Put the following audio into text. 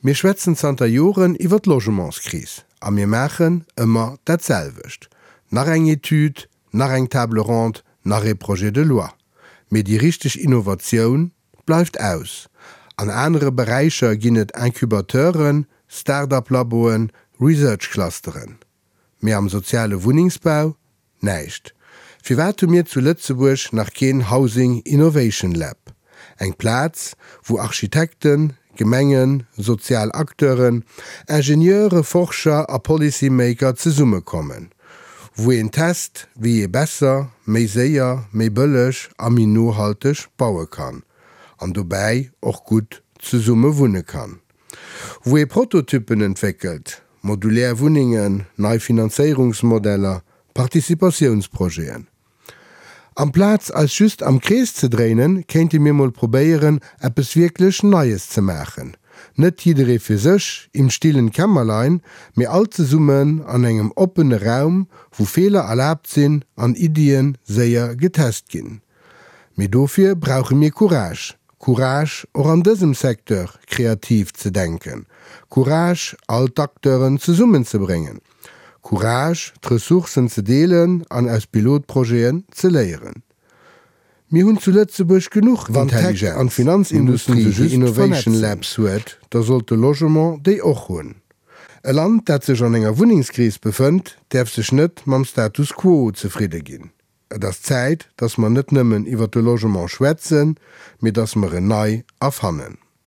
Mir schwätzen zanter Joren iwwer d'Logementskris a mir maachen ëmmer dat selwecht. Nach eng Etüd, nach eng Table ronde, nach ee Projet de loi. Mee déi richteg Innovatioun bleift aus. An anere Beräicher ginn et Incubateuren, Start-up-Laboen, Research-Clusteren. Mee am soziale Wunnengsbau? Näischt. Firwat hu mir zu Lëtzebuerg nach keen Housing Innovation Lab? Eng Plaz, wou Architekten, Gemengen, sozial Acteuren, Ingenieure, Forscher a Policy-Maker zesummekommen. Wou een test, wéi ee besser, méi séier, méi bëlleg a méi nohalteg baue kann. An dobäi och gutt zesumme wunne kann. Wou ee Prototyppen entwéckelt, modulär Wunnengen, nei Finanzéierungsmodeller, Participatiounsprojeten. Amplaz eis just am Krees ze dréinen, kéinte mir mol probéieren, eppes wierklech Neies ze maachen. Net jidderee fir sech, im stillen Kämmerlein, mee all zesummen an engem oppene Raum, wou Feeler erlaabt sinn an Iddien séier getest ginn. Mee dofir brauche mir Courage. Courage, och an dësem Secteur kreativ ze denken. Courage, all d'Acteuren zesummenzebréngen. Courage, d'Ressourcen ze deelen an aus Pilotprojeten ze léieren. Mir hunn zu Lëtzebuerg genuch Wann d'Tech Intelligenz, an mir mussen d'Finanzindustrie se déi just Innovation vernetzen. Labs huet, da sollt de Logement déi och hunn. E Land, dat sech an enger Wunnengskris befënnt, däerf sech net mam Status quo zefridde ginn. Et ass Zäit, dass mer net nëmmen iwwert de Logement schwätzen, mee dass mer en nei erfannen.